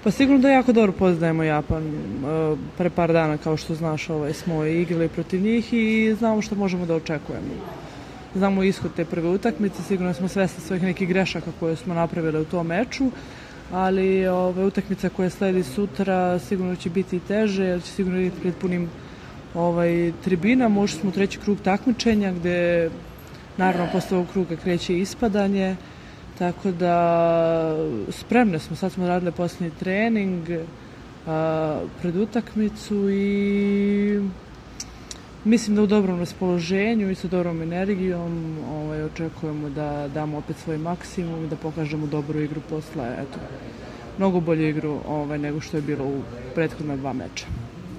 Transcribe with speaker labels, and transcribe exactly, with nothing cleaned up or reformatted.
Speaker 1: Pa sigurno da jako dobro poznajemo Japan. Pre par dana, kao što znaš, ovaj, smo igrali protiv njih i znamo što možemo da očekujemo. Znamo ishod te prve utakmice, sigurno smo svesni svojih nekih grešaka koje smo napravili u tom meču, ali ove, utakmica koja sledi sutra sigurno će biti i teže, jer će sigurno biti pred punim ovaj, tribina. Možda smo u treći krug takmičenja, gde naravno posle ovog kruga kreće ispadanje, tako da spremne smo, sad smo radili posljednji trening a, pred utakmicu i mislim da u dobrom raspoloženju i sa dobrom energijom ovaj, očekujemo da damo opet svoj maksimum i da pokažemo dobru igru posle, eto, mnogo bolju igru ovaj, nego što je bilo u prethodna dva meča.